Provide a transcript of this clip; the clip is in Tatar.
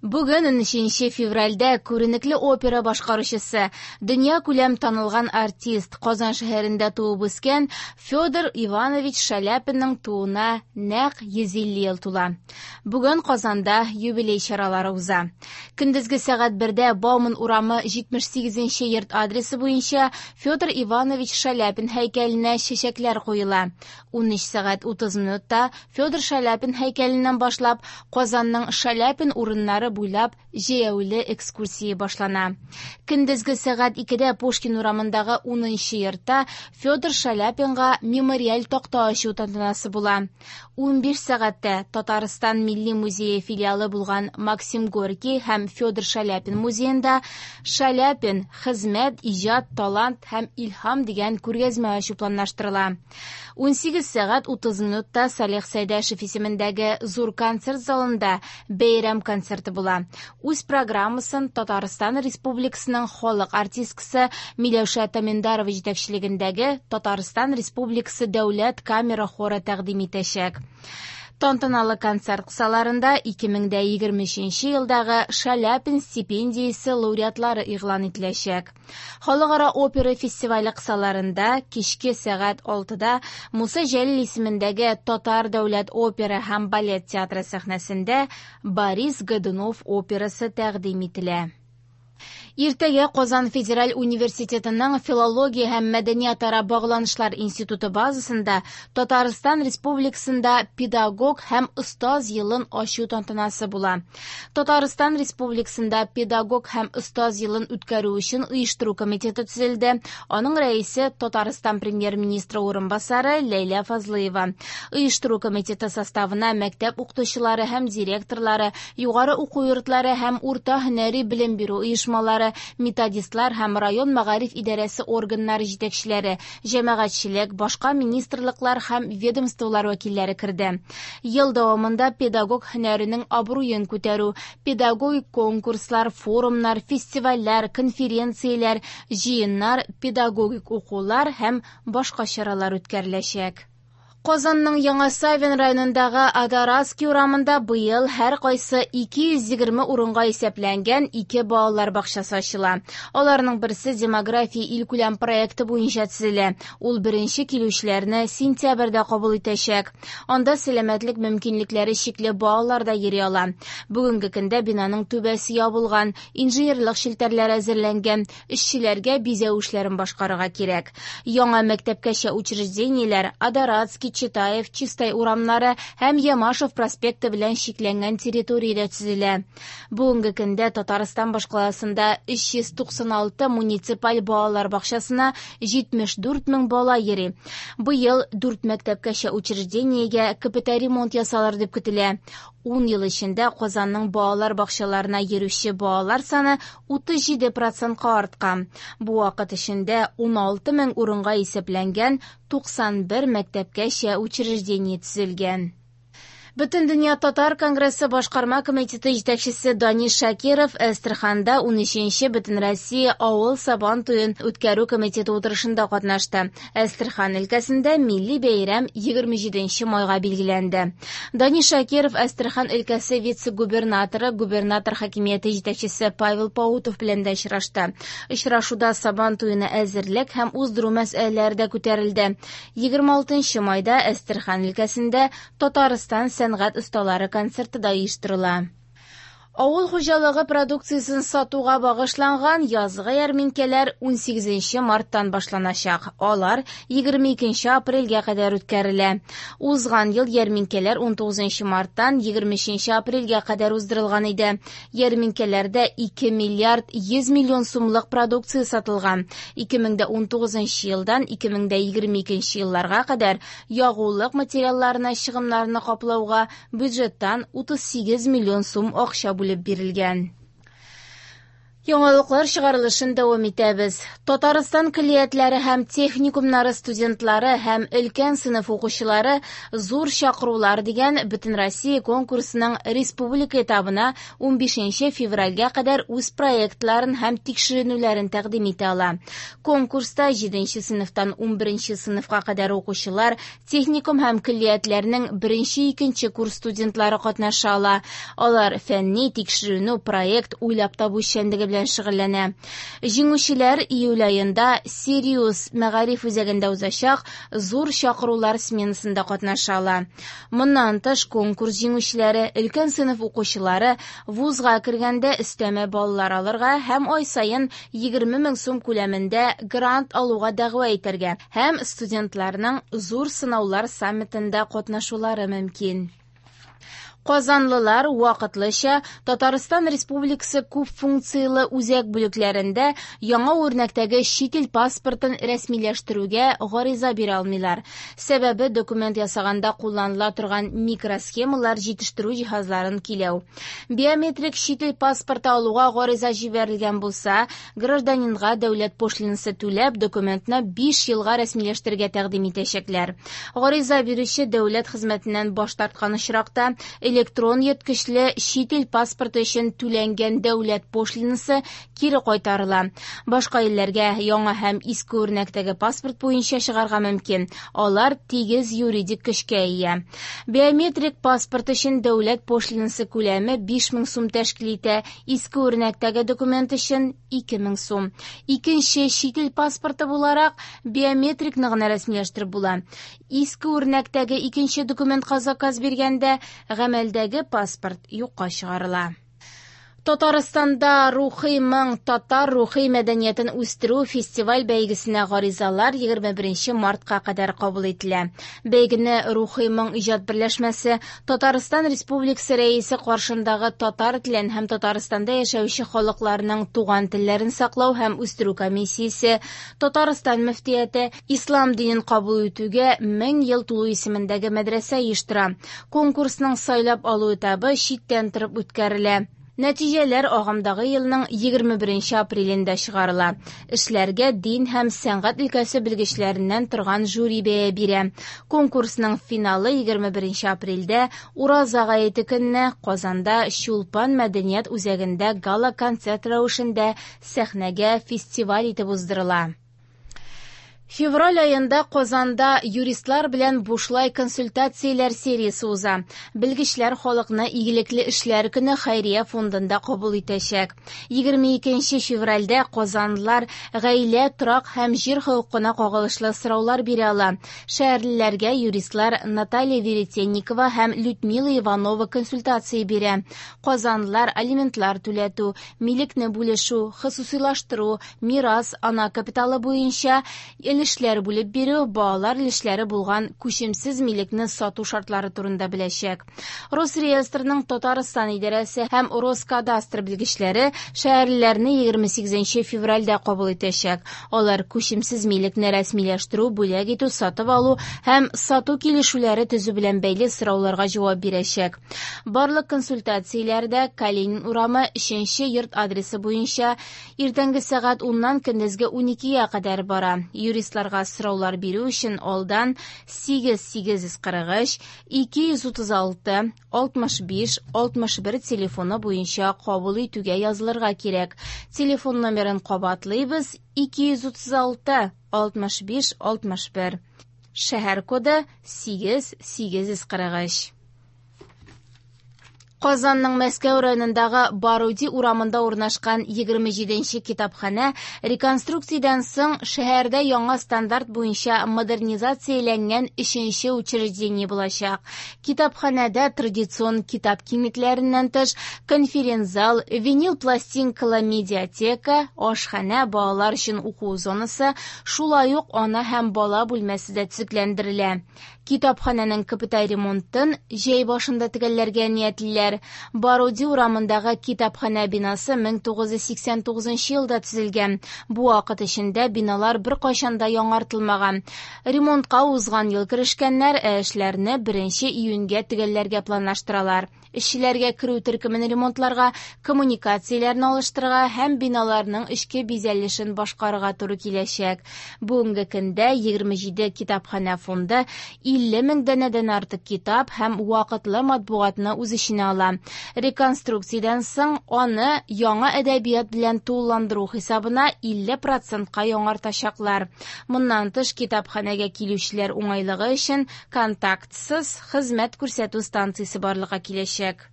Бүген 13 февральдә күренекле опера башкаручысы, дөньякүләм танылган артист, Казан шәһәрендә туып үскән Федор Иванович Шаляпинның тууына нәкъ 150 ел тула. Бүген Казанда юбилей чаралары уза. Көндезге сәгать 1дә Бауман урамы 78 йорт адресы буенча Федор Иванович Шаляпин һәйкәленә чәчәкләр куела. 13 сәгать 30 минутта Федор Шаляпин һәйкәленнән башлап Казанның Шаляпин урыннары буйлап җәяүле экскурсия башлана. Көндезге сәгать 2дә Пушкин урамындагы 10 йортта Федор Шаляпинга мемориаль такта ачу тантанасы була. 15 сәгатьтә Татарстан Милли музее филиалы булган Максим Горький һәм Федор Шаляпин музеенда Шаляпин хезмәт, иҗат, талант һәм илһам дигән күргәзмә ачу планлаштырыла. 18 сәгать 30 минутта Салих Сәйдәшев исемендәге зур концерт залында бәйрәм концерты була. Үз программасын Татарстан Республикасының халык артисткасы Миләүшә Таминдарова җитәкчелегендәге Татарстан Республикасы дәүләт камера хоры тәкъдим итәчәк. Тантаналы концерт кысаларында 2023 елдагы Шаляпин стипендиясе лауреатлары игълан ителәчәк. Халыкара опера фестивале кысаларында кичке сәгать 6да Муса Җәлил исемендәге Татар дәүләт опера һәм балет театры сәхнәсендә Борис Годунов операсы тәкъдим ителә. Иртәгә Казан федераль университетының филология һәм мәдәниятара багланышлар институты базасында Татарстан Республикасында педагог һәм остаз елын ачу тантанасы була. Татарстан Республикасында педагог һәм остаз елын үткәрү өчен оештыру комитеты төзелде. Аның рәисе Татарстан премьер-министры урынбасары Ләйлә Фазлыева. Оештыру комитеты составына мәктәп укытучылары һәм директорлары, югары уку йортлары һәм урта һөнәри белем бирү оешмалары, методистлар һәм район мәгариф идарәсе органнары җитәкчеләре, җәмәгатьчелек, башка министрлыклар һәм ведомстволар вәкилләре керде. Ел дәвамында педагог һөнәренең абруен күтәрү, педагогик конкурслар, форумнар, фестивальләр, конференцияләр, җыеннар, педагогик укулар һәм башка чаралар үткәреләчәк. Казанның Яңа Савин районындагы Адоратский урамында быел һәр кайсы 220 урынга исәпләнгән ике балалар бакчасы ачыла. Аларның берсе демография илкүләм проекты буенча төзелә. Ул беренче килүчеләрне сентябрьдә кабул итәчәк. Анда сәламәтлек мөмкинлекләре чикле балалар да йөри ала. Бүгенге көндә бинаның түбәсе ябылган, инженерлык челтәрләре әзерләнгән, эшчеләргә бизәү эшләрен башкарырга кирәк. Яңа мәктәпкәчә учреждениеләр Адоратский, Читаев, Чистай урамнары һәм Ямашев проспекты белән чикләнгән территориядә төзелә. Бүгенге көндә Татарстан башкаласында 396 муниципаль балалар бакчасына 74 мең бала йөри. Быел 4 мәктәпкәчә учреждениегә капиталь ремонт ясалыр дип көтелә. 10 ел эчендә Казанның балалар бакчаларына йөрүче балалар саны 37%-ка арткан. Бу вакыт эчендә 16 мең урынга исәпләнгән 91 мәктәпкәчә учреждение төзелгән. Бөтендөнья татар конгрессы башкарма комитеты җитәкчесе Данис Шакиров Әстерханда 13-нче Бөтенроссия авыл сабан туен үткәрү комитеты утырышында катнашты. Әстерхан өлкәсендә милли бәйрәм 27 майга билгеләнде. Данис Шакиров Әстерхан өлкәсе вице-губернаторы, губернатор хакимияте җитәкчесе Павел Паутов белән дә очрашты. Очрашуда сабан туена әзерлек һәм уздыру мәсьәләләре дә күтәрелде. 26 майда Әстерхан өлкәсендә Татарстан сәнгать осталары концерты да оештырыла. Авыл хуҗалыгы продукциясен сатуга багышланган язгы ярминкәләр 18 марттан башланачак. Алар 22 апрельгә кадәр үткәрелә. Узган ел ярминкәләр 19 марттан 23 апрельгә кадәр уздырылган иде. Ярминкәләрдә 2 миллиард 100 миллион сумлык продукция сатылган. 2019 елдан 2022 елларга кадәр ягулык материалларына чыгымнарны каплауга бюджеттан 38 миллион сум акча бүлеп бирелгән. Яңалыклар чыгарылышын дәвам итәбез. Татарстан көллиятләре һәм техникумнары студентлары һәм өлкән сыйныф укучылары «Зур чакырулар» дигән Бөтенроссия конкурсының республика этабына 15 февральгә кадәр үз проектларын һәм тикшеренүләрен тәкъдим итә ала. Конкурста 7 сыйныфтан 11 сыйныфка кадәр укучылар, техникум һәм көллиятләрнең 1-2 курс студентлары катнаша ала. Алар фәнни тикшеренү, проект уйлап табу эшчәнлеге белән шөгыльләнә. Җиңүчеләр июль аенда Сириус мәгариф үзәгендә узачак зур чакырулар сменасында катнаша ала. Моннан тыш, конкурс җиңүчеләре, өлкән сыйныф укучылары вузга кергәндә өстәмә баллар алырга һәм ай саен 20 мең сум күләмендә грант алуга дәгъва итәргә һәм студентларның зур сынаулар саммитында катнашулары мөмкин. Казанлылар вакытлыча Татарстан Республикасы күп функцияле үзәк бүлекләрендә яңа үрнәктәге чит ил паспортын рәсмиләштерүгә гариза бирә алмыйлар. Сәбәбе документ ясаганда кулланыла торган микросхемалар җитештерү җиһазларын киләү. Биометрик чит ил паспорты алуга гариза җибәрелгән булса, гражданинга дәүләт пошлинасы түләп документны 5 елга рәсмиләштерергә тәкъдим итәчәкләр. Гариза бирүче дәүләт хезмәтеннән баш тарткан очракта электрон йөрткечле чит ил паспорты өчен түләнгән дәүләт пошлинасы кире кайтарыла. Башка илләргә яңа һәм иске үрнәктәге паспорт буенча чыгарга мөмкин. Алар тигез юридик көчкә ия. Биометрик паспорт өчен дәүләт пошлинасы күләме 5000 сум тәшкил итә, иске үрнәктәге документ өчен 2000 сум. Икенче чит ил паспорты буларак биометрикны гына рәсмиләштереп була. Иске үрнәктәге икенче документка заказ биргәндә гамәлдәге паспорт юкка чыгарыла. Татарстанда Рухи моң татар рухи мәдәниятен үстерү фестиваль бәйгесенә гаризалар 21 мартка кадәр кабул ителә. Бәйгене Рухи моң иҗат берләшмәсе Татарстан Республикасы рәисе каршындагы татар телен һәм Татарстанда яшәүче халыкларның туган телләрен саклау һәм үстерү комиссиясе, Татарстан мөфтияте, Ислам динен кабул итүгә 1000 ел тулу исемендәге мәдрәсә оештыра. Конкурсның сайлап алу этабы читтән торып үткәрелә. Нәтиҗәләр агымдагы елның 21 апрелендә чыгарыла. Эшләргә дин һәм сәнгать өлкәсе белгечләреннән торган жюри бәя бирә. Конкурсның финалы 21 апрельдә Ураза гаете көнне Казанда Чулпан мәдәният үзәгендә гала-концерт рәвешендә сәхнәгә фестиваль итеп уздырыла. Февраль аенда Казанда юристлар белән бушлай консультацияләр сериясе уза. Белгечләр халыкны игелекле эшләр көне хәйрия фондында кабул итәчәк. 22 февральдә казанлылар гаилә, торак һәм җир хокукына кагылышлы сораулар бирә ала. Шәһәрлеләргә юристлар Наталья Веретенникова һәм Людмила Иванова консультация бирә. Казанлылар алиментлар түләтү, милекне бүлешү, хосусыйлаштыру, мирас, ана капиталы буенча өлешләр бүлеп бирү, балалар өлешләре булган күчемсез милекне сату шартлары турында беләчәк. Росреестрның Татарстан идарәсе һәм Роскадастр белгечләре шәһәрлеләрне 28 февральдә кабул итәчәк. Алар күчемсез милекне рәсмиләштерү, бүләк итү, сатып алу һәм сату килешүләре төзү белән бәйле сорауларга җавап бирәчәк. Барлык консультацияләрдә Калинин урамы 3 йорт адресы буенча иртәнге сәгать 10-нан көндезге 12-гә кадәр бара. Юристларга сораулар бирү өчен алдан 8843 236 65 61 телефоны буенча кабул итүгә язылырга кирәк. Телефон номерын кабатлыйбыз: 236 65 61. Шәһәр коды 8843. Казанның Мәскәү районындагы Баруди урамында урнашкан 27-нче китапханә реконструкциядән соң шәһәрдә яңа стандарт буенча модернизацияләнгән 3-нче учреждение булачак. Китапханәдә традицион китап киңлекләреннән тыш конференц-зал, винил пластинкалы медиатека, ашханә, балалар өчен уку зонасы, шулай ук ана һәм бала бүлмәсе дә төзекләндерелә. Китапханәнең капиталь ремонтын җәй башында төгәлләргә ниятлиләр. әзерлиләр. Баруди урамындагы китапханә бинасы 1989 елда төзелгән. Бу вакыт эчендә биналар беркайчан да яңартылмаган. Ремонтка узган ел керешкәннәр, ә эшләрне 1 июньгә төгәлләргә планлаштыралар. Эшчеләргә керү төркемен ремонтларга, коммуникацияләрне алыштырырга һәм биналарның эчке бизәлешен башкарырга туры киләчәк. Бүгенге көндә 27 китапханә фонды 50 мең данәдән артык китап һәм вакытлы матбугатны үз эченә ала. Реконструкциядән соң аны яңа әдәбият белән тулыландыру хисабына 50 процентка яңартачаклар. Моннан тыш, китапханәгә килүчеләр уңайлыгы өчен контактсыз хезмәт күрсәтү станциясе барлыкка киләчәк.